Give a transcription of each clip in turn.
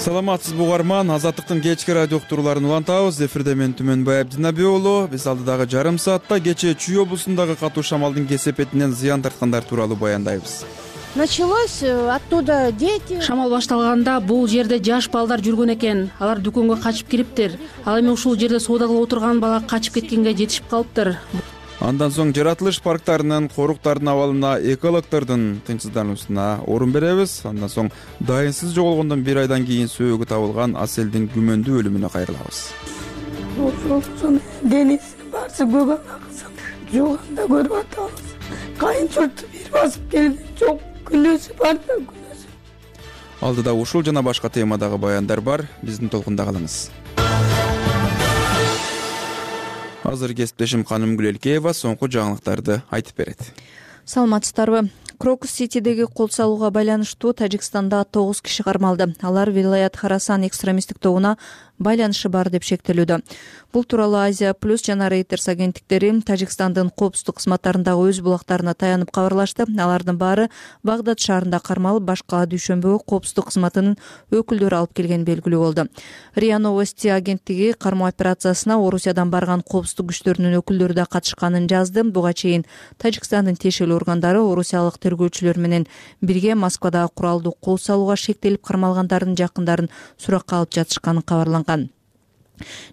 Саламатсызбы угарман, Азаттыктын кечки радио уктурууларын улантабыз. Эфирде мен Түмөнбай Абдинабий уулу. Биз алдыдагы жарым саатта кечээ Чүй облусундагы катуу шамалдын кесепетинен зыян тарткандар тууралуу баяндайбыз. Началось оттуда дети. Шамал башталганда бул жерде жаш балдар жүргөн экен. Алар дүкөнгө качып кириптир. Ал эми ушул жерде соода кылып отурган бала качып кеткенге жетишип калыптыр. Андан соң жаратылыш парктарынын, коруктардын абалына, экологтордун тынчсыздануусуна орун беребиз. Андан соң дайынсыз жоголгондон бир айдан кийин сөөгү табылган Аселдин күмөндүү өлүмүнө кайрылабыз. Ошол денесин барсы көбөк аксын жуганда көрүп атабыз. Кайын журту бир басып келди. Жок, күнөөсү бар да күнөөсү. Алдыда ушул жана башка темадагы баяндар бар. Биздин толкунда калыңыз. Азыр кесиптешим Канымгүл Элкеева соңку жаңылыктарды айтып берет. Саламатсыздарбы? Крокус-Ситидеги кол салууга байланыштуу Тажикстанда 9 киши кармалды. Алар Вилаят Харасан экстремисттик тобуна байланышы бар деп шектелүүдө. Бул тууралуу Азия Плюс жана Reuters агенттиктери Тажикстандын коопсуздук кызматтарындагы өз булактарына таянып кабарлашты. Алардын баары Багдад шаарында кармалып, башка дүйшөмбөгө коопсуздук кызматынын өкүлдөрү алып келгени белгилүү болду. РИА Новости агенттиги кармоо операциясына Орусиядан барган коопсуздук күчтөрүнүн өкүлдөрү да катышканын жазды. Буга чейин Тажикстандын тиешелүү органдары орусиялык тергөөчүлөр менен бирге Москвадагы куралдуу кол салууга шектелип кармалгандардын жакындарын суракка алып жатышканын кабарланган.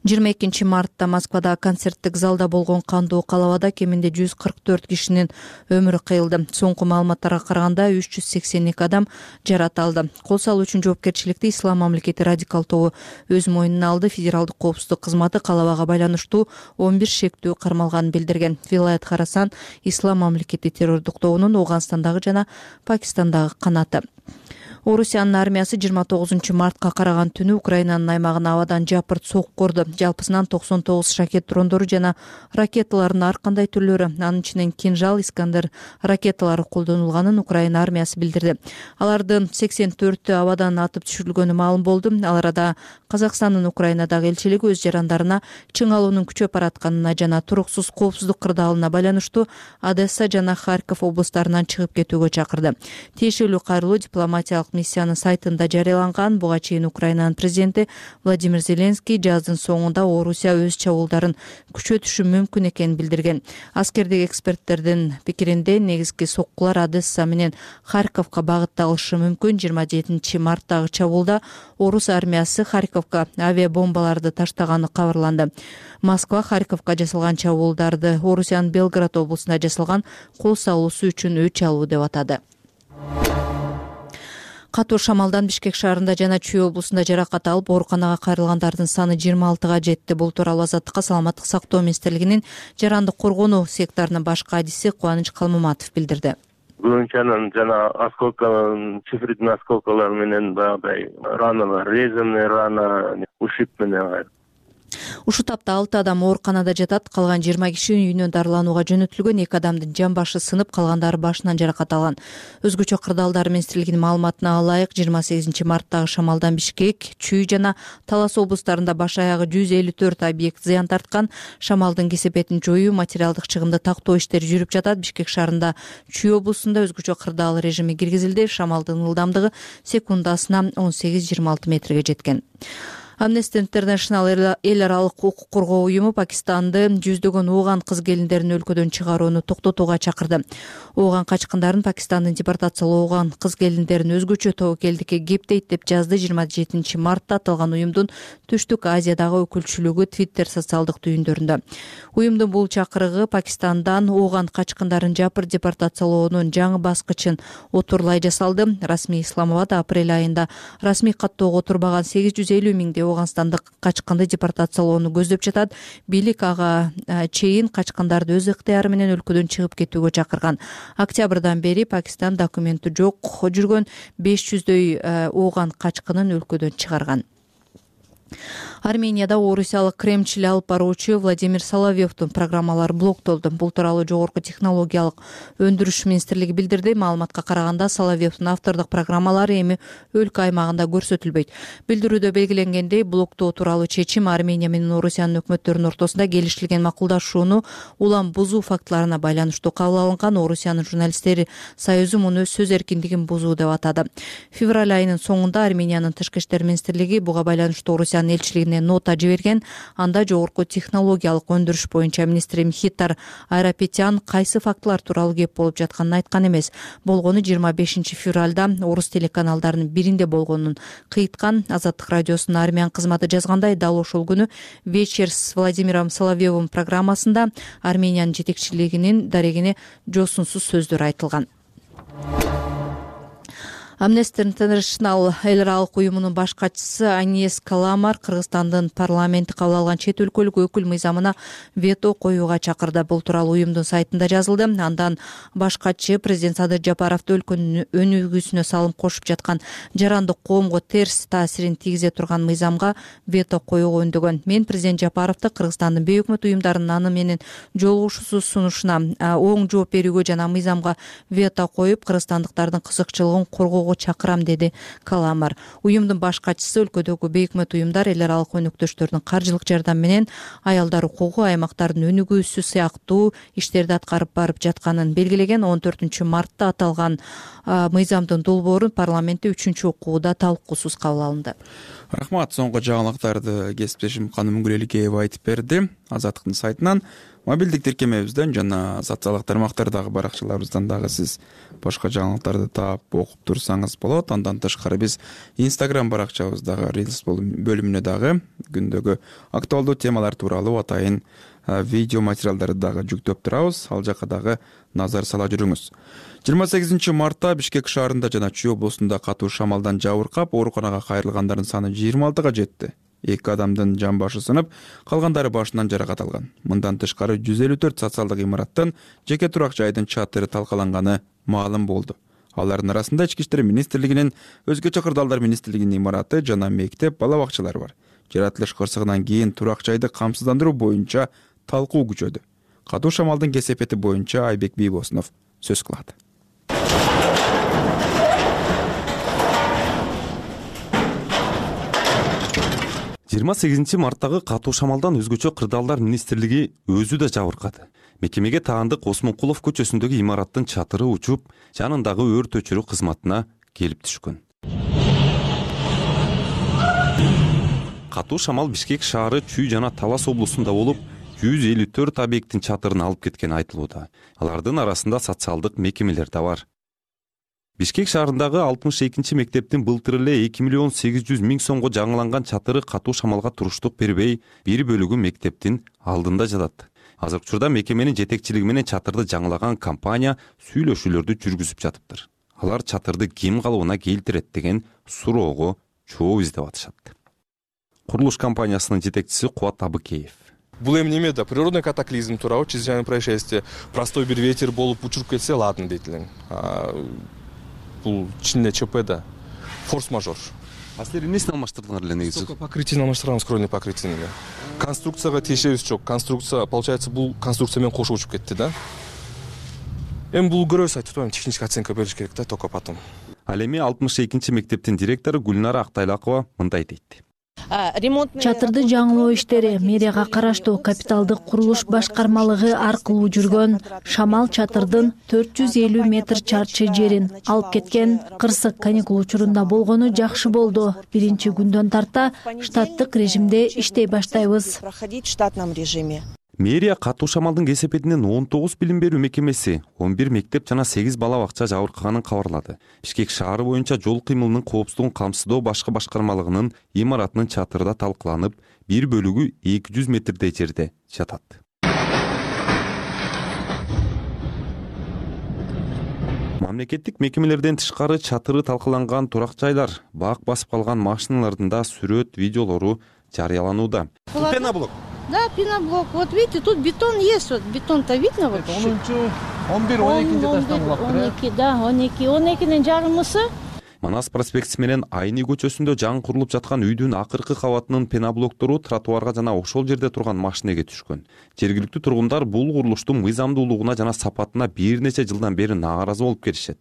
22 мартта Москвада концерттик залда болгон кандуу калабада кеминде 144 кишинин өмүрү кыйылды. Соңку маалыматтарга караганда 382 адам жарат алды. Кол салуу үчүн жоопкерчиликти Ислам мамлекети радикал тобу өз мойнуна алды. Федералдык коопсуздук кызматы калабага байланыштуу 11 шектүү кармалганын билдирген. Вилаят Харасан Ислам мамлекети террордук тобунун Ооганстандагы жана Пакистандагы канаты. Орусиянын армиясы 29 мартка караган түнү Украинанын аймагына абадан жапырт сокку корду. Жалпысынан 99 шакет дрондору жана ракеталардын ар кандай түрлөрү, анын ичинен Кинжал, Искандер ракеталары колдонулганын Украина армиясы билдирди. Алардын 84-тү абадан атып түшүрүлгөнү маалым болду. Ал арада Казакстандын Украинадагы элчилиги өз жарандарына чың алуунун күчөп баратканына жана туруксуз коопсуздук кырдаалына байланыштуу Одесса жана Харьков облустарынан чыгып кетүүгө чакырды. Тиешелүү кайрылуу дипломатиялык миссиянын сайтында жарыяланган. Буга чейин Украинанын президенти Владимир Зеленский жаздын соңунда Орусия өз чабуулдарын күчөтүшү мүмкүн экенин билдирген. Аскердик эксперттердин пикиринде негизги соккулар Одесса менен Харьковго багытталышы мүмкүн. 27 марттагы чабуулда орус армиясы Харьковго авиабомбаларды таштаганы кабарланды. Москва Харьковго жасалган чабуулдарды Орусиянын Белгород облусунда жасалган кол салуусу үчүн өч алуу деп атады. Катуу шамалдан Бишкек шаарында жана Чүй облусунда жаракат алып, ооруканага кайрылгандардын саны 26га жетти. Бул тууралуу Азаттыкка саламаттык сактоо министрлигинин жарандык коргонуу секторунун баш кадиси Кубаныч Калмаматов билдирди. Глынчанын жана осколканын, цифридин осколкалары менен баягыдай раналар, резанный рана, ушиб менен. Ушу тапта 6 адам ооруканада жатат. Калган 20 киши үйүнөн дарыланууга жөнөтүлгөн. 2 адамдын жан башы сынып, калгандары башынан жаракат алган. Өзгөчө кырдаалдар министрлигинин маалыматына ылайык 28 марттагы шамалдан Бишкек, Чүй жана Талас облустарында баш аягы 154 объект зыян тарткан. Шамалдын кесепетин жоюу, материалдык чыгымды тактоо иштери жүрүп жатат. Бишкек шаарында Чүй облусунда өзгөчө кырдаал режими киргизилди. Шамалдын ылдамдыгы секундасына 18-26 метрге жеткен. Amnesty International эл аралык укук коргоо уюму Пакистанды жүздөгөн ооган кыз келиндерин өлкөдөн чыгарууну токтотууга чакырды. Ооган качкындарын Пакистандын депортациялоогон кыз келиндерин өзгөчө тобокелдикке кептейт деп жазды. 27 мартта аталган уюмдун Түштүк Азиядагы өкүлчүлүгү Twitter социалдык түйүндөрүндө. Уюмдун бул чакырыгы Пакистандан ооган качкындарын жапыр депортациялоонун жаңы баскычын отурлай жасалды. Расмий Исламабад апрель айында расмий каттоого отурбаган 850 миңдей Ооганстандык качкынды депортациялоону көздөп жатат. Бийлик ага чейин качкындарды өз ыктыяры менен өлкөдөн чыгып кетүүгө чакырган. Октябрдан бери Пакистан документи жок жүргөн 500дөй ооган качкынын өлкөдөн чыгарган. Арменияда орусиялык кремчил алып баруучу Владимир Соловьевдун программалары блоктолду. Бул тууралуу жогорку технологиялык өндүрүш министрлиги билдирди. Маалыматка караганда Соловьевдун автордук программалары эми өлкө аймагында көрсөтүлбөйт. Билдирүүдө белгиленгендей, блоктоо тууралуу чечим Армения менен Орусиянын өкмөттөрүнүн ортосунда келишилген макулдашууну улам бузуу фактыларына байланыштуу кабыл алынган. Орусиянын журналисттери союзу муну сөз эркиндигин бузуу деп атады. Февраль айынын соңунда Армениянын тышкы иштер министрлиги буга байланыштуу Орусиянын элчилигине нота жиберген. Анда жогорку технологиялык өндүрүш боюнча министри Мхитар Айрапетян кайсы фактылар тууралуу кеп болуп жатканын айткан эмес. Болгону 25 февралда орус телеканалдарынын биринде болгонун кыйткан. Азаттык радиосунун армян кызматы жазгандай, дал ошол күнү «Вечер с Владимиром Соловьевым» программасында Армениянын жетекчилигинин дарегине жосунсуз сөздөр айтылган. Amnesty International эл аралык уюмунун баш катчысы Аньес Каламар Кыргызстандын парламенти кабыл алган чет өлкөлүк өкүл мыйзамына вето коюуга чакырды. Бул тууралуу уюмдун сайтында жазылды. Андан баш катчы президент Садыр Жапаровду өлкөнүн өнүгүүсүнө салым кошуп жаткан жарандык коомго терс таасирин тийгизе турган мыйзамга вето коюуга үндөгөн. Мен президент Жапаровду Кыргызстандын бейөкмөт уюмдарынын аны менен жолугушуусуз сунушуна оң жооп берүүгө жана мыйзамга вето коюп, кыргызстандыктардын кызыкчылыгын коргоо чакырам, деди Каламар. Уюмдун баш катчысы өлкөдөгү бейөкмөт уюмдар эл аралык өнөктөштөрдүн каржылык жардамы менен аял укугу, аймактардын өнүгүүсү сыяктуу иштерди аткарып барып жатканын белгилеген. 14 мартта аталган мыйзамдын долбоору парламентте 3 окууда талкуусуз кабыл алынды. Рахмат. Соңку жаңылыктарды кесиптешим Каным Гүлеликеева айтып берди. Азаттыктын сайтынан, мобилдик тиркемебизден жана социалдык тармактардагы баракчаларыбыздан дагы сиз башка жаңылыктарды таап окуп турсаңыз болот. Андан тышкары биз Instagram баракчабыздагы Reels бөлүмүнө дагы күндөгү актуалдуу темалар тууралуу атайын видео материалдарды дагы жүктөп турабыз. Ал жака дагы назар сала жүрүңүз. 28 мартта Бишкек шаарында жана Чүй облусунда катуу шамалдан жабыркап, ооруканага кайрылгандардын саны 26-га жетти. 2 адамдын жан башы сынып, калгандары башынан жаракат алган. Мындан тышкары 154 социалдык имараттын жеке турак жайдын чатыры талкаланганы маалым болду. Алардын арасында Ички иштер министрлигинин, өзгөчө кырдаалдар министрлигинин имараты жана мектеп, бала бакчалары бар. Жаратылыш кырсыгынан кийин турак жайды камсыздандыруу боюнча талкуу күчөдү. Катуу шамалдын кесепети боюнча Айбек Бийбосунов сөз кылат. 28 марттагы катуу шамалдан өзгөчө кырдаалдар министрлиги өзү да жабыркады. Мекемеге таандык Осмонкулов көчөсүндөгү имараттын чатыры учуп, жанындагы өрт өчүрүү кызматына келип түшкөн. Катуу шамал Бишкек шаары, Чүй жана Талас облусунда болуп, 154 объекттин чатырын алып кеткени айтылууда. Алардын арасында социалдык мекемелер да бар. Бишкек шаарындагы 62 мектептин былтыр эле 2 800 000 сомго жаңыланган чатыры катуу шамалга туруштук бербей, бир бөлүгү мектептин алдында жатат. Азыркы учурда мекеменин жетекчилиги менен чатырды жаңылаган компания сүйлөшүүлөрдү жүргүзүп жатыптыр. Алар чатырды ким калыбына келтирет деген суроого жооп издеп атышат. Курулуш компаниясынын жетекчиси Кубат Абыкеев. Бул эми неме да природный катаклизм туурабы, чрезвычайное происшествие, простой бир ветер болуп учуруп кетсе ладно дейт элең. Бул чынында ЧП да, форс-мажор. А силер эмнесин алмаштырдыңар эле негизи? Только покрытие алмаштырганбыз, кровный покрытие. Конструкцияга тиешебиз жок. Конструкция, получается, бул конструкция менен кошо учуп кетти да. Эми бул көрөбүз, айтып атпаймынбы, технический оценка бериш керек да, только потом. Ал эми 62 мектептин директору Гүлнара Актайлакова мындай дейт. Чатырды жаңылоо иштери мэрияга караштуу капиталдык курулуш башкармалыгы аркылуу жүргөн. Шамал чатырдын 450 метр чарчы жерин алып кеткен. Кырсык каникул учурунда болгону жакшы болду. Биринчи күндөн тарта штаттык режимде иштей баштайбыз. Мэрия катуу шамалдын кесепетинен 19 билим берүү мекемеси, 11 мектеп жана 8 бала бакча жабыркаганын кабарлады. Бишкек шаары боюнча жол кыймылынын коопсуздугун камсыздоо башкы башкармалыгынын имаратынын чатырда талкыланып, бир бөлүгү 200 метрдей жерде жатат. Мамлекеттик мекемелерден тышкары чатыры талкаланган турак жайлар, бак басып калган машиналардын да сүрөт, видеолору жарыяланууда. Пеноблок. Да, пеноблок. Вот видите, тут бетон есть, вот бетон-то видно вот. 11-12 этаждан булак. 12, да, 12-нин жарымысы. Манас проспектиси менен Айны көчөсүндө жаңы курулуп жаткан үйдүн акыркы кабатынын пеноблоктору тротуарга жана ошол жерде турган машинеге түшкөн. Жергиликтүү тургундар бул курулуштун мыйзамдуулугуна жана сапатына бир нече жылдан бери нааразы болуп келишет.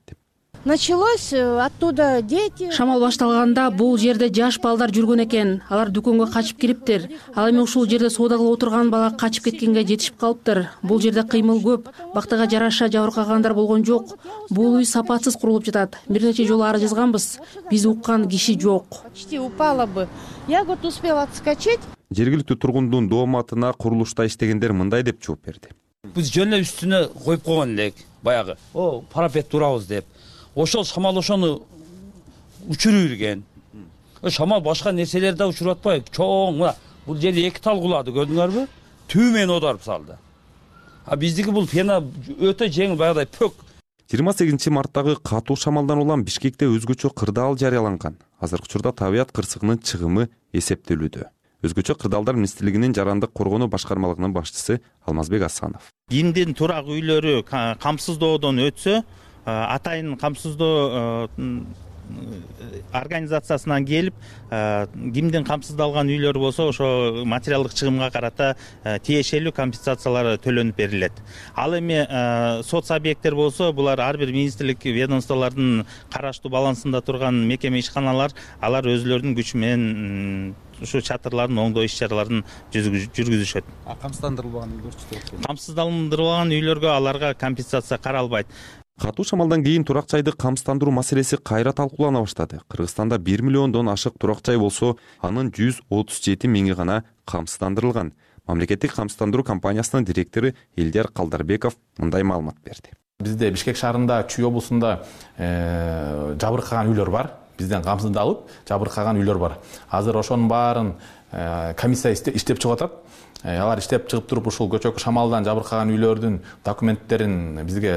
Началось оттуда дети. Шамал башталганда бул жерде жаш балдар жүргөн экен. Алар дүкөнгө качып кириптир. Ал эми ушул жерде соода кылып отурган бала качып кеткенге жетишип калыптыр. Бул жерде кыймыл көп. Бактыга жараша жабыркагандар болгон жок. Бул үй сапатсыз курулуп жатат. Бир нече жолу арыз жазганбыз. Биз уккан киши жок. Почти упала бы. Я вот успела отскочить. Жергиликтүү тургундун дооматына курулушта иштегендер мындай деп жооп берди. Биз жөн эле үстүнө коюп койгон элек баягы. Парапет турабыз деп. Ошол шамал ошону учуруп ирген. Шамал башка нерселерди да учуруп атпайбы? Чоң мына бул жерде 2 тал кулады, көрдүңөрбү? Түбү менен оодарып салды. Биздики бул пена өтө жеңил баягыдай пөк. 28 марттагы катуу шамалдан улам Бишкекте өзгөчө кырдаал жарыяланган. Азыркы учурда табият кырсыгынын чыгымы эсептелүүдө. Өзгөчө кырдаалдар министрлигинин жарандык коргонуу башкармалыгынын башчысы Алмазбек Асанов. Кимдин турак үйлөрү камсыздоодон өтсө, атайын камсыздоо организациясынан келип, кимдин камсыздалган үйлөр болсо, ошо материалдык чыгымга карата тиешелүү компенсациялар төлөнүп берилет. Ал эми соц объекттер болсо, булар ар бир министрлик ведомстволордун караштуу балансында турган мекеме ишканалар, алар өзлөрүнүн күчү менен ушу чатырлардын оңдоо иш-чараларын жүргүзүшөт. Камсыздандырылбаган үйлөрчү? Камсыздандырылган үйлөргө аларга компенсация каралбайт. Катуу шамалдан кийин турак жайды камсыздандыруу маселеси кайра талкуулана баштады. Кыргызстанда 1 миллиондон ашык турак жай болсо, анын 137 миңи гана камсыздандырылган. Мамлекеттик камсыздандыруу компаниясынын директору Элдияр Калдарбеков мындай маалымат берди. Бизде Бишкек шаарында, Чүй облусунда жабыркаган үйлөр бар. Бизден камсыздалып, жабыркаган үйлөр бар. Азыр ошонун баарын комиссия иштеп чыгып атат. Алар иштеп чыгып туруп ушул көчөкү шамалдан жабыркаган үйлөрдүн документтерин бизге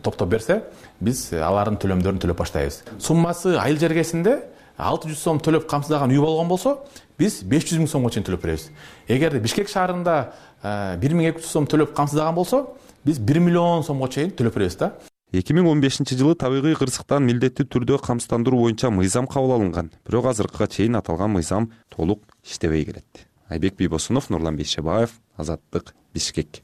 топтоп берсе, биз алардын төлөмдөрүн төлөп баштайбыз. Суммасы айыл жергесинде 600 сом төлөп камсыздаган үй болгон болсо, биз 500 миң сомго чейин төлөп беребиз. Эгерде Бишкек шаарында 1200 сом төлөп камсыздаган болсо, биз 1 миллион сомго чейин төлөп беребиз да. 2015-жылы табигый кырсыктан милдеттүү түрдө камсыздандыруу боюнча мыйзам кабыл алынган. Бирок азыркыга чейин аталган мыйзам толук иштебей келет. Айбек Бийбосунов, Нурлан Бейшебаев, Азаттык, Бишкек.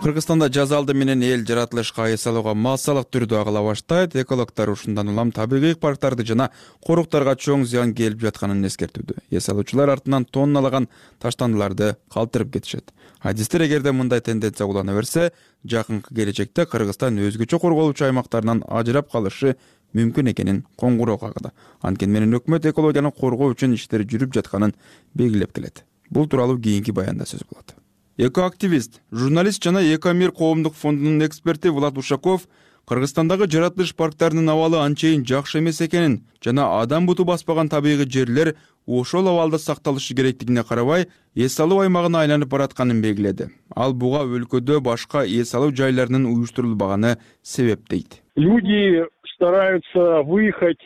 Кыргызстанда жаз алды менен эл жаратылышка эс алууга массалык түрдө агыла баштайт. Экологдор ушундан улам табигый парктарды жана коруктарга чоң зыян келип жатканын эскертүүдө. Эс алуучулар артынан тонналаган таштандыларды калтырып кетишет. Адистер эгерде мындай тенденция улана берсе, жакынкы келечекте Кыргызстан өзгөчө корголуучу аймактарынан ажырап калышы мүмкүн экенин коңгуроо кагды. Анткени менен өкмөт экологияны коргоо үчүн иштер жүрүп жатканын белгилеп келет. Бул тууралуу кийинки баянда сөз болот. Экоактивист, журналист жана Экомир коомдук фондунун эксперти Влад Ушаков Кыргызстандагы жаратылыш парктарынын абалы анчейин жакшы эмес экенин жана адам буту баспаган табигый жерлер ошол абалда сакталышы керектигине карабай, эс алуу аймагына айланып баратканын белгиледи. Ал буга өлкөдө башка эс алуу жайларынын уюштурулбаганы себеп дейт. Люди стараются выехать.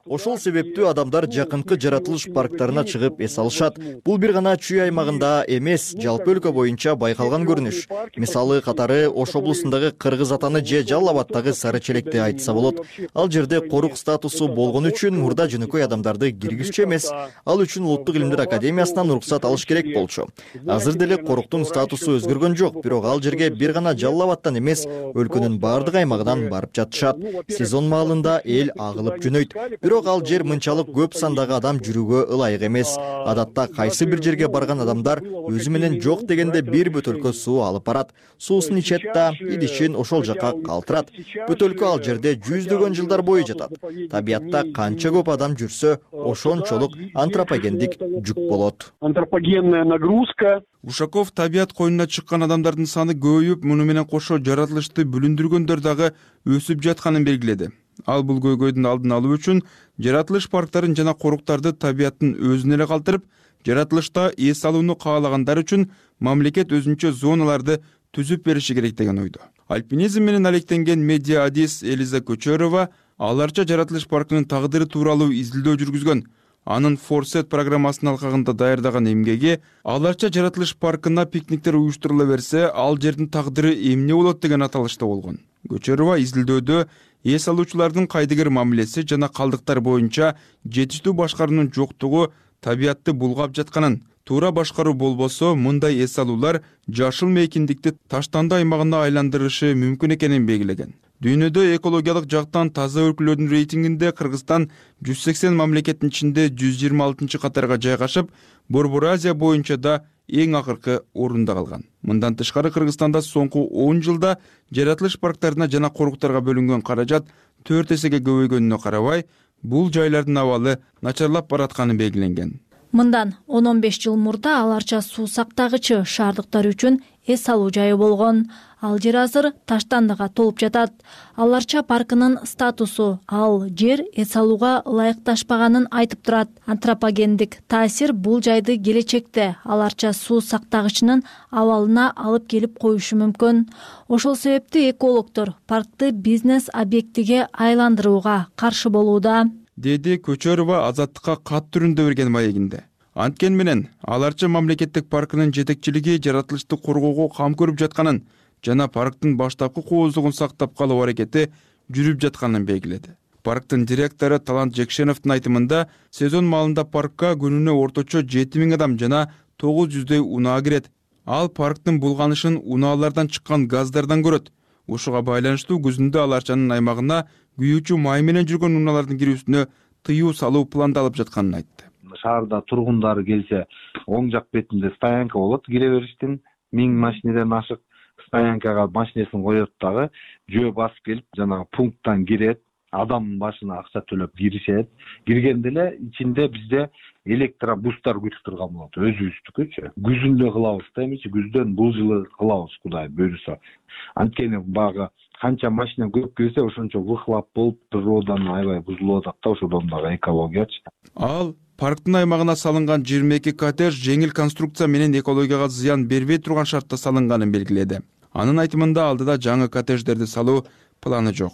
Ошол себептүү адамдар жакынкы жаратылыш парктарына чыгып эс алышат. Бул бир гана Чүй аймагында эмес, жалпы өлкө боюнча байкалган көрүнүш. Мисалы катары Ош облусундагы Кыргыз Атаны же Жалал Абадтагы Сары Челекти айтса болот. Ал жерде корук статусу болгон үчүн мурда жөнөкөй адамдарды киргизчү эмес, ал үчүн Улуттук илимдер академиясынан уруксат алыш керек болчу. Азыр деле коруктун статусу өзгөргөн жок, бирок ал жерге бир гана Жалал Абадтан эмес, өлкөнүн бардык аймагынан барып жатышат. Сезон маалында эл агылып жөнөйт. Бирок ал жер мынчалык көп сандагы адам жүрүүгө ылайык эмес. Адатта кайсы бир жерге барган адамдар өзү менен жок дегенде бир бөтөлкө суу алып барат. Суусун ичет да, идишин ошол жака калтырат. Бөтөлкө ал жерде жүздөгөн жылдар бою жатат. Табиятта канча көп адам жүрсө, ошончолук антропогендик жүк болот. Антропогенная нагрузка. Ушаков табият коюнуна чыккан адамдардын саны көбөйүп, муну менен кошо жаратылышты бүлүндүргөндөр дагы өсүп жатканын белгиледи. Ал бул көйгөйдүн алдын алуу үчүн жаратылыш парктарын жана коруктарды табияттын өзүнө эле калтырып, жаратылышта эс алууну каалагандар үчүн мамлекет өзүнчө зоналарды түзүп бериши керек деген ойдо. Альпинизм менен алектенген медиа адис Элиза Көчөрова аларча жаратылыш паркынын тагдыры тууралуу изилдөө жүргүзгөн. Анын Форсет программасынын алкагында даярдаган эмгеги аларча жаратылыш паркына пикниктер уюштурула берсе, ал жердин тагдыры эмне болот деген аталышта болгон. Көчөрова изилдөөдө эс алуучулардын кайдыгер мамилеси жана калдыктар боюнча жетиштүү башкаруунун жоктугу табиятты булгап жатканын, туура башкаруу болбосо мындай эс алуулар жашыл мейкиндикти таштанды аймагына айландырышы мүмкүн экенин белгилеген. Дүйнөдө экологиялык жактан таза өлкөлөрдүн рейтингинде Кыргызстан 180 мамлекеттин ичинде 126-катарга жайгашып, Борбор Азия боюнча да эң акыркы орунда калган. Мындан тышкары Кыргызстанда соңку 10 жылда жаратылыш парктарына жана коруктарга бөлүнгөн каражат 4 эсеге көбөйгөнүнө карабай, бул жайлардын абалы начарлап баратканы белгиленген. Мындан 10-15 жыл мурда аларча суу сактагычы шаардыктар үчүн эс алуу жайы болгон. Ал жер азыр таштандыга толуп жатат. Аларча паркынын статусу ал жер эс алууга ылайыкташпаганын айтып турат. Антропогендик таасир бул жайды келечекте аларча суу сактагычынын абалына алып келип коюшу мүмкүн. Ошол себептен экологдор паркты бизнес объектиге айландырууга каршы болууда, деди Көчөрова Азаттыкка кат түрүндө берген маегинде. Анткени менен аларча мамлекеттик паркынын жетекчилиги жаратылышты коргоого кам көрүп жатканын жана парктын баштапкы кооздугун сактап калуу аракети жүрүп жатканын белгиледи. Парктын директору Талант Жекшеновдун айтымында, сезон маалында паркка күнүнө орточо 7000 адам жана 900дөй унаа кирет. Ал парктын булганышын унаалардан чыккан газдардан көрөт. Ушуга байланыштуу күзүндө аларчанын аймагына күйүүчү май менен жүргөн унаалардын кирүүсүнө тыюу салуу пландалып жатканын айтты. Шаарда тургундар келсе, оң жак бетинде стоянка болот, кире бериштин 1000 машинеден ашык стоянкага машинесин коет дагы, жөө басып келип, жанагы пункттан кирет, адам башына акча төлөп киришет. Киргенде эле ичинде бизде электробустар күтүп турган болот, өзүбүздүкүчү. Күзүндө кылабыз да, эмичи күздөн бул жылы кылабыз, Кудай буйруса. Анткени багы канча машина көп келсе, ошончо выхлоп болуп, природаны аябай бузулуп атат да, ошодон дагы экологиячы. Ал парктын аймагына салынган 22 коттедж жеңил конструкция менен экологияга зыян бербей турган шартта салынганын белгиледи. Анын айтымында алдыда жаңы коттедждерди салуу планы жок.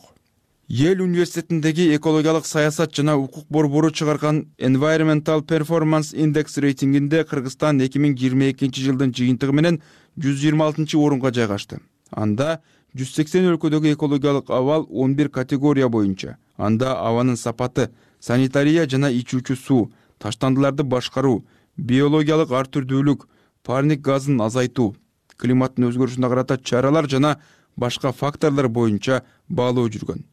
Ел университетиндеги экологиялык саясат жана укук борбору чыгарган Environmental Performance Index рейтингинде Кыргызстан 2022 жылдын жыйынтыгы менен 126-орунга жайгашты. Анда 180 өлкөдөгү экологиялык абал 11 категория боюнча. Анда абанын сапаты, санитария жана ичүүчү суу, таштандыларды башкаруу, биологиялык ар түрдүүлүк, парник газын азайтуу, климаттын өзгөрүшүнө карата чаралар жана башка факторлор боюнча баалоо жүргөн.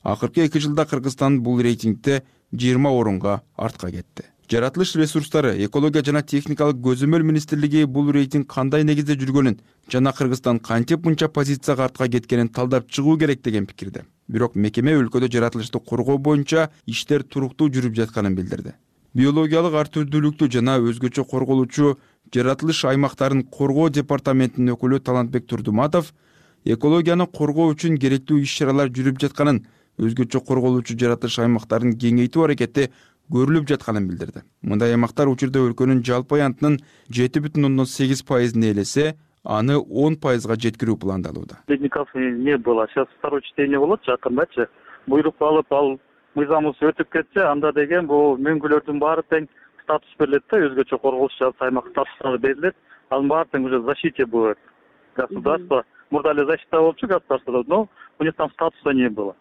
Акыркы 2 жылда Кыргызстан бул рейтингде 20 орунга артка кетти. Жаратылыш ресурстары, экология жана техникалык көзөмөл министрлиги бул рейтинг кандай негизде жүргөнүн жана Кыргызстан кантип мынча позицияга артка кеткенин талдап чыгуу керек деген пикирде. Бирок мекеме өлкөдө жаратылышты коргоо боюнча иштер туруктуу жүрүп жатканын билдирди. Биологиялык ар түрдүүлүктү жана өзгөчө корголуучу жаратылыш аймактарын коргоо департаментинин өкүлү Талантбек Турдуматов экологияны коргоо үчүн керектүү иш-чаралар жүрүп жатканын, өзгөчө корголуучу жаратылыш аймактарын кеңейтүү аракети көрүлүп жатканын билдирди. Мындай аймактар учурда өлкөнүн жалпы аянтынын 7,8% ээлесе, аны 10%га жеткирүү пландалууда. Ледников не было. Сейчас второе чтение болот жакындачы. Буйрук алып, ал мыйзамыбыз өтүп кетсе, анда деген бул мөңгүлөрдүн баары тең статус берилет да, өзгөчө корголуучу жалпы аймак статусу берилет. Анын баары тең уже защите будет. Государство мурда эле защита болчу государстводо, но у них там статуса не было.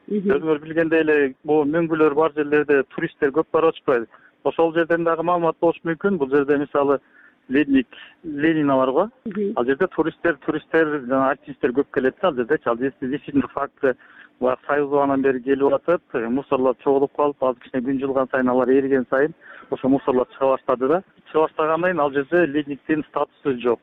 Өзүңөр билгендей эле, бул мөңгүлөр бар жерлерде туристтер көп барып атышпайбы? Ошол жерден дагы маалымат болушу мүмкүн. Бул жерде мисалы ледник Ленина бар го. Ал жерде туристтер жана альпинисттер көп келет. Ал жерде действительно факты Союзанан бери келип атат, мусорлор чогулуп калып, азыр кичине күн жылган сайын алар эриген сайын ошо мусорлор чыга баштады да. Чыга баштагандан кийин ал жерде ледниктин статусу жок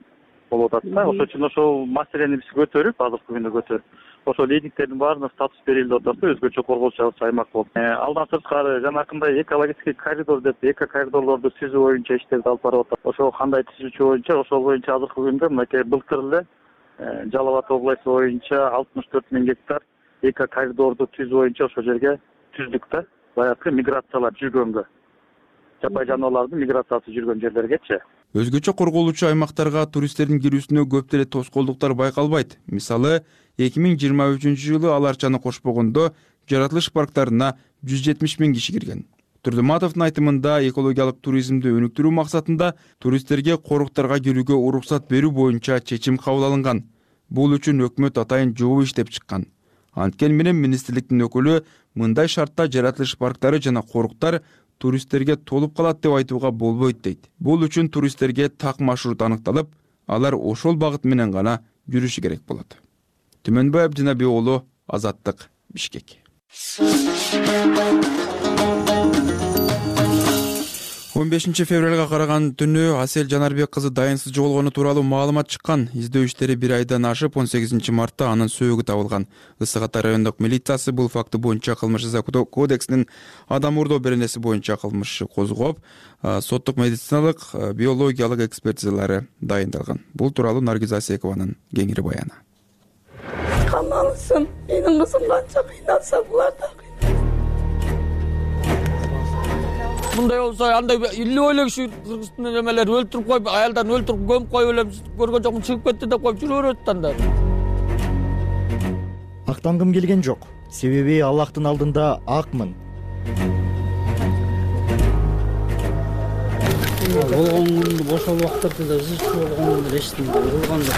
болуп атат да. Ошон үчүн ошол маселени биз көтөрүп, азыркы күндө көтөрүп, ошол ледниктердин баарына статус берилди деп атат, өзгөчө корголчу аймак болуп. Алдан сырткары жанакындай экологический коридор деп эко коридорлорду түзүү боюнча иштерди алып барып атат. Ошол кандай түзүүчү боюнча, ошол боюнча азыркы күндө мынакей былтыр эле Жалал Абад областы боюнча 64 000 гектар эко коридорду түзүү боюнча ошол жерге түздүк да. Баягы миграциялар жүргөнгө, жапай жаныбарлардын миграциясы жүргөн жерлергечи. Өзгөчө корголуучу аймактарга туристтердин кирүүсүнө көп деле тоскоолдуктар байкалбайт. Мисалы, 2023 жылы аларчаны кошпогондо жаратылыш парктарына 170 000 киши кирген. Турдуматовдун айтымында экологиялык туризмди өнүктүрүү максатында туристтерге коруктарга кирүүгө уруксат берүү боюнча чечим кабыл алынган. Бул үчүн өкмөт атайын жобо иштеп чыккан. Анткени менен министрликтин өкүлү мындай шартта жаратылыш парктары жана коруктар туристтерге толуп калат деп айтууга болбойт дейт. Бул үчүн туристтерге так маршрут аныкталып, алар ошол багыт менен гана жүрүшү керек болот. Түмөнбай Абдинаби уулу, Азаттык, Бишкек. 15 февралга караган түнү Асель Жанарбек кызы дайынсыз жоголгону тууралуу маалымат чыккан. Издөө иштери 1 айдан ашып, 18 мартта анын сөөгү табылган. Ысык Ата райондук милициясы бул факты боюнча кылмыш жаза кодексинин адам урдоо беренеси боюнча кылмыш козгоп, соттук медициналык, биологиялык экспертизалары дайындалган. Бул тууралуу Наргиз Асекованын кеңири баяны. Камалысын, менин кызым канча кыйналса булар да мындай болсо андай илип ойлогушу Кыргызстан немелер өлтүрүп коюп, аялдарын өлтүрүп көмүп коюп элем көргөн жокмун, чыгып кетти деп коюп жүрө берет анда. Актангым келген жок. Себеби Аллахтын алдында акмын. Болгонду бошол убактарда ызычуу болгонун эчтим, кылган жок.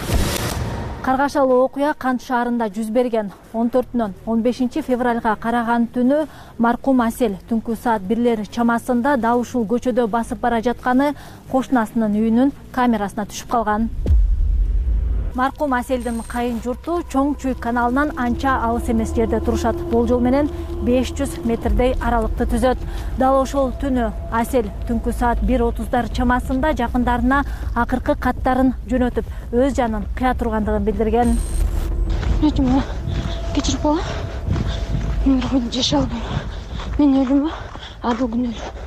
Каргашалуу окуя Кант шаарында жүз берген. 14-нөн 15 февралга караган түнү маркум Асель түнкү саат 1 чамасында дал ушул көчөдө басып бара жатканы кошунасынын үйүнүн камерасына түшүп калган. Маркум Аселдин кайын журту Чоң Чүй каналынан анча алыс эмес жерде турушат. Болжол менен 500 метрдей аралыкты түзөт. Дал ошол түнү Асель түнкү саат 1:30 чамасында жакындарына акыркы каттарын жөнөтүп, өз жанын кыя тургандыгын билдирген. Кечирип коела. Мен жашай албайм. Мен өлүмбү? Адыл күн өлүм.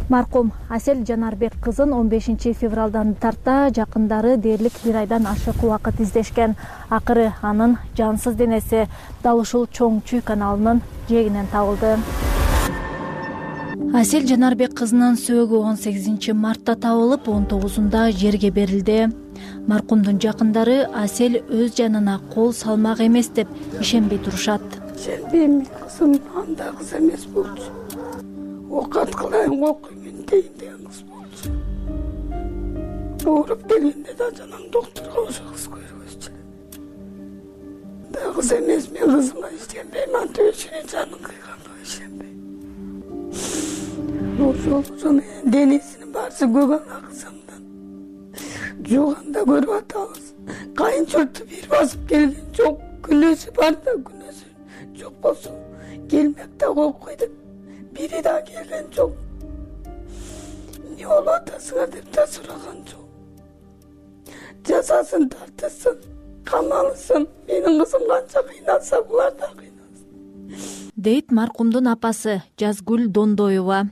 Маркум Асель Жанарбек кызын 15 февралдан тарта жакындары дээрлик 1 айдан ашык убакыт издешкен. Акыры анын жансыз денеси дал ушул Чоң Чүй каналынын жээгинен табылды. Асель Жанарбек кызынын сөөгү 18 мартта табылып, 19-унда жерге берилди. Маркумдун жакындары Асель өз жанына кол салмак эмес деп ишенбей турушат. Ишенбейм, кызым андай кыз эмес болчу. Окат кылайын, окуймун дейин деген кыз болчу. Ооруп келгенде да жанагы доктурга ошо кыз көргөзчү. Да кыз эмес, мен кызыма ишенбейм, антип ишенем, жанын кыйганга ишенбейм. Ошол денесинин баары көгөн аксамдан жууганда көрүп атабыз. Кайын журту бир басып келген жок, күнөөсү бар да күнөөсү жок болсо келмек да коюп койдук. Бири да келген жок. Не болуп атасыңар деп да сураган жок. Жазасын тартсын, камалысын, менин кызым канча кыйналса булар да кыйналсын. Дейт маркумдун апасы Жазгүл Дондоева.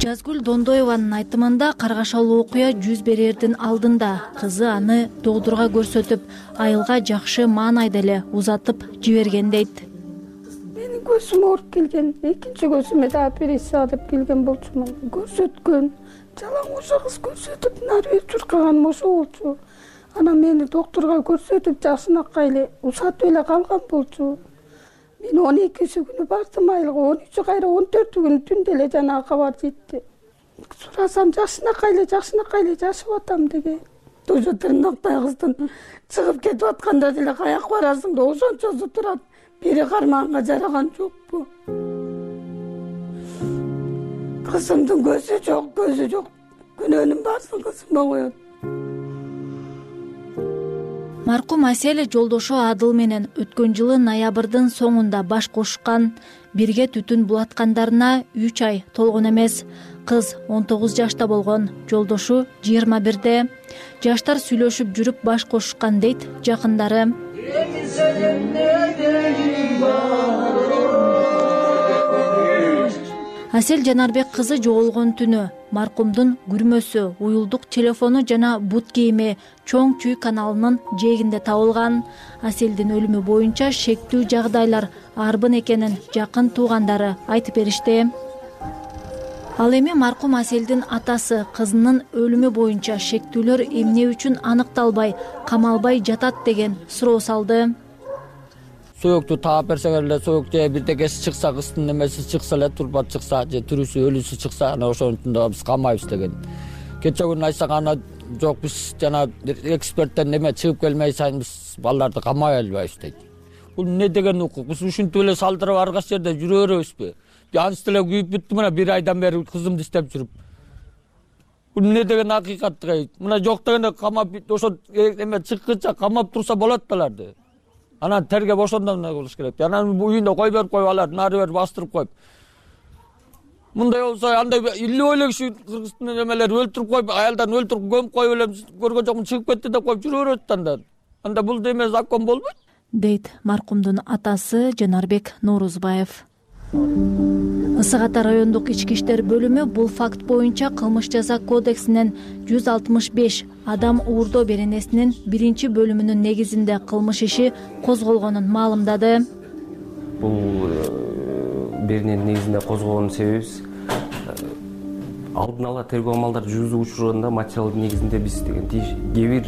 Жазгүл Дондоеванын айтымында каргашалуу окуя жүз берердин алдында кызы аны доктурга көрсөтүп, айылга жакшы маанайда эле узатып жиберген дейт. Менин көзүм ооруп келген, экинчи көзүмө да операция деп келген болчумун. Көрсөткөн, жалаң ошо кыз көрсөтүп, нары бери чуркаган ошо болчу. Анан мени доктурга көрсөтүп, жакшынакай эле узатып эле калган болчу. Мен 12-си күнү бардым айылга, 13-ü кайра 14-ü күнү түндө эле жанагы кабар жетти. Сурасам жакшынакай эле жашап атам деген. Ошо тырнактай кыздын чыгып кетип атканда деле каяка барасың да ошончосу турат. Бири кармаганга жараган жокпу. Кызымдын көзү жок. Күнөөнүн баарын кызыма коет. Маркум Асель жолдошу Адыл менен өткөн жылы ноябрдын соңунда баш кошкан. Бирге түтүн булаткандарына 3 ай толгон эмес. Кыз 19 жашта болгон, жолдошу 21-де. Жаштар сүйлөшүп жүрүп баш кошкан дейт жакындары. Асель Жанарбек кызы жоголгон түнү маркумдун күрмөсү, уюлдук телефону жана бут кийими Чоң Чүй каналынын жээгинде табылган. Аселдин өлүмү боюнча шектүү жагдайлар арбын экенин жакын туугандары айтып беришти. Ал эми маркум Аселдин атасы кызынын өлүмү боюнча шектүүлөр эмне үчүн аныкталбай, камалбай жатат деген суроо салды. Сөйөктү таап берсеңер эле, сөйөк же бирдекеси чыкса, кыздын немеси чыкса эле, турбат чыкса, же тирүүсү, өлүүсү чыкса, анан ошонун да биз камайбыз деген. Кече күнү айтсак ана жок, биз жана эксперттен неме чыгып келмей сайын биз балдарды камай албайбыз дейт. бул эмне деген укук? Биз ушинтип эле салдырып ар кайсы жерде жүрө беребизби? Анча эле күйүп бүттү, мына 1 айдан бери кызымды издеп жүрүп. Бул эмне деген акыйкат? Мына жок дегенде камап ошо эме чыккыча камап турса болот белерди. Анан тергеп ошондон болуш керек. Анан үйүндө кой берип коюп алар, нары бери бастырып коюп. Мындай болсо андай илүү эле киши Кыргызстан эмелер өлтүрүп коюп, аялдарын өлтүрүп көмүп коюп эле көргөн жокмун, чыгып кетти деп коюп жүрө берет анда. Анда бул деме закон болбойт, дейт маркумдун атасы Жанарбек Норузбаев. Ысык Ата райондук ички иштер бөлүмү бул факт боюнча кылмыш жаза кодексинин 165 адам уурдоо беренесинин 1-бөлүмүнүн негизинде кылмыш иши козголгонун маалымдады. Бул берененин негизинде козголгон себебибиз алдын ала тергөө амалдарды жүргүзүүгө учурганда материал негизинде биз деген кээ бир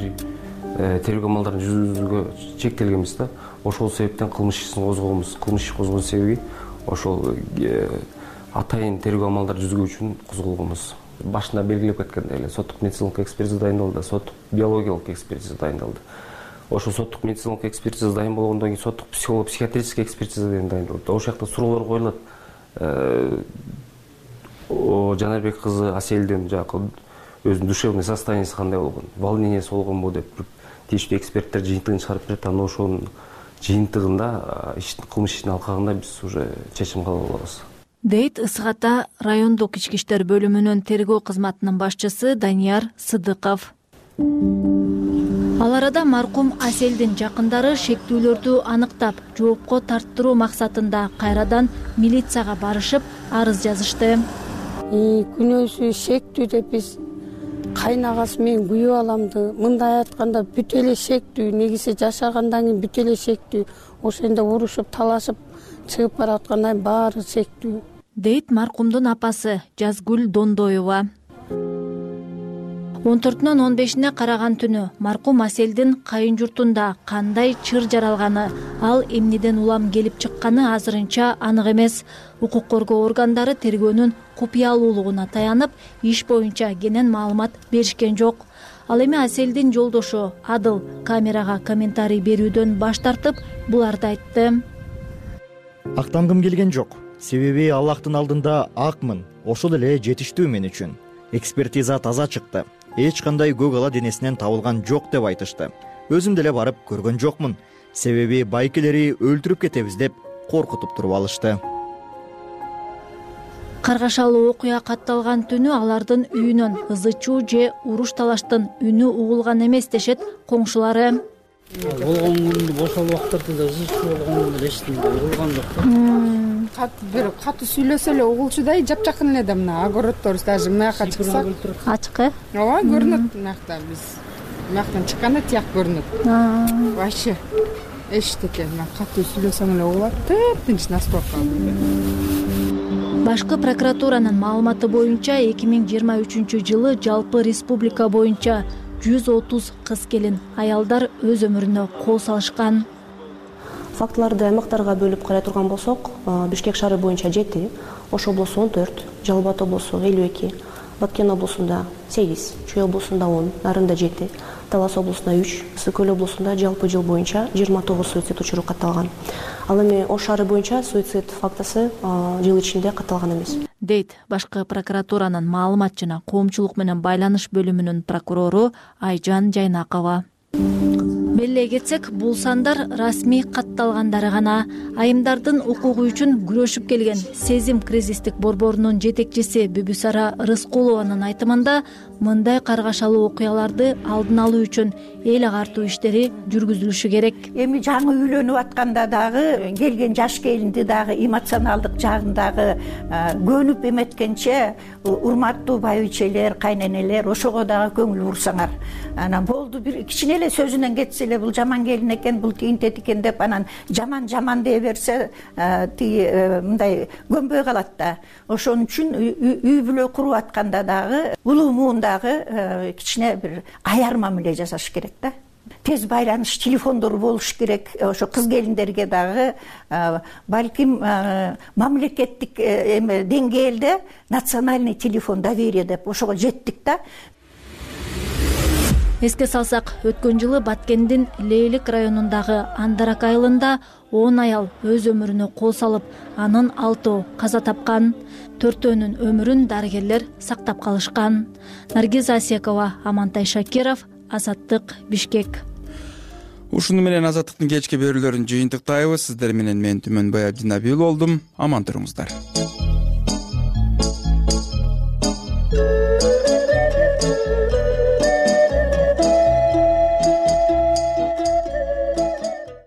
тергөө амалдарын жүргүзүүгө чектелгенбиз да. Ошол себептен кылмыш ишин козгогонбуз. Кылмыш иши козгоон себеби ошол атайын тергөө амалдарды жүзгүү үчүн козголгонбуз. Башында белгилеп кеткендей эле соттук медициналык экспертиза дайындалды, соттук биологиялык экспертиза дайындалды. Ошол соттук медициналык экспертиза дайын болгондон кийин соттук психиатрический экспертиза дайындалды. Ошол жакта суроолор коюлат. Жанарбек кызы Аселдин жакы өзүнүн душевный состояниясы кандай болгон, волнениясы болгонбу деп тийиштүү эксперттер жыйынтыгын чыгарып берет. Анан ошонун жыйынтыгында кылмыш ишин алкагында биз уже чечим кабыл алабыз, дейт Ысык Ата райондук ички иштер бөлүмүнүн тергөө кызматынын башчысы Данияр Сыдыков. Ал арада маркум Аселдин жакындары шектүүлөрдү аныктап, жоопко тарттыруу максатында кайрадан милицияга барышып, арыз жазышты. Күнөөсү шектүү деп биз кайнагасы менен күйөө аламды. Мындай айтканда бүт эле шектүү, негизи жашагандан кийин бүт эле шектүү. Ошондо урушуп, талашып чыгып бараткандан баары шектүү, дейт маркумдун апасы Жазгүл Дондоева. 14-нөн 15-ине караган түнү маркум Аселдин кайын журтунда кандай чыр жаралганы, ал эмнеден улам келип чыкканы азырынча анык эмес. Укук коргоо органдары тергөөнүн купуялуулугуна таянып, иш боюнча кенен маалымат беришкен жок. Ал эми Аселдин жолдошу Адыл камерага комментарий берүүдөн баш тартып, буларды айтты. Актангым келген жок. Себеби Аллахтын алдында акмын. Ошол эле жетиштүү мен үчүн. Экспертиза таза чыкты. Эч кандай көк ала денесинен табылган жок деп айтышты. Өзүм деле барып көргөн жокмун. Себеби байкелери өлтүрүп кетебиз деп коркутуп туруп алышты. Каргашалуу окуя катталган түнү алардын үйүнөн ызы чуу же уруш талаштын үнү угулган эмес дешет коңшулары. Болгон күндү бошол убактарда да ызы чуу болгонун эчтим, угулган жок. Бир катуу сүйлөсө эле угулчудай жапжакын эле да, мына огороддорубуз даже мынаяка чыксак ачкы. Ооба, көрүнөт мынакта биз. Мынактан чыкканда тияк көрүнөт. Вообще эчтек экен, катуу сүйлөсөң эле угулат, тынч настрока. Башкы прокуратуранын маалыматы боюнча 2023-жылы жалпы республика боюнча 130 кыз келин аялдар өз өмүрүнө кол салышкан. Фактыларды аймактарга бөлүп карай турган болсок, Бишкек шаары боюнча 7, Ош облусу 14, Жалал Абад облусу 52, Баткен облусунда 8, Чүй облусунда 10, Нарында 7, Талас облусунда 3, Ысык Көл облусунда жалпы жыл боюнча 29 суицид учуру катталган. Ал эми Ош шаары боюнча суицид фактысы жыл ичинде катталган эмес, дейт башкы прокуратуранын маалымат жана коомчулук менен байланыш бөлүмүнүн прокурору Айжан Жайнакова. Белгилей кетсек, бул сандар расмий катталгандары гана. Айымдардын укугу үчүн күрөшүп келген Сезим кризистик борборунун жетекчиси Бүбүсара Рыскулованын айтымында, мындай каргашалуу окуяларды алдын алуу үчүн эл агартуу иштери жүргүзүлүшү керек. Эми жаңы үйлөнүп атканда дагы келген жаш келинди дагы эмоционалдык жагындагы көнүп эметкенче урматтуу байбичелер, кайненелер ошого дагы көңүл бурсаңар. Анан болду, бир кичине эле сөзүнөн кетсе эле бул жаман келин экен, бул тигинтет экен деп анан жаман дей берсе, мындай көнбөй калат да. Ошон үчүн үй бүлө куруп атканда дагы улуу муундагы кичине бир аяр мамиле жасаш керек да. Тез байланыш телефондору болуш керек. Ошо кыз келиндерге дагы балким мамлекеттик деңгээлде национальный телефон доверия деп ошого жеттик да. Эске салсак, өткөн жылы Баткендин Лейлик районундагы Андарак айылында 10 аял өз өмүрүнө кол салып, анын 6 каза тапкан, 4-өнүн өмүрүн дарыгерлер сактап калышкан. Наргиз Асекова, Амантай Шакиров, Азаттык, Бишкек. Ушуну менен Азаттыктын кечки берүүлөрүн жыйынтыктайбыз. Сиздер менен мен Түмөнбай Абдинабил болдум. Аман туруңуздар.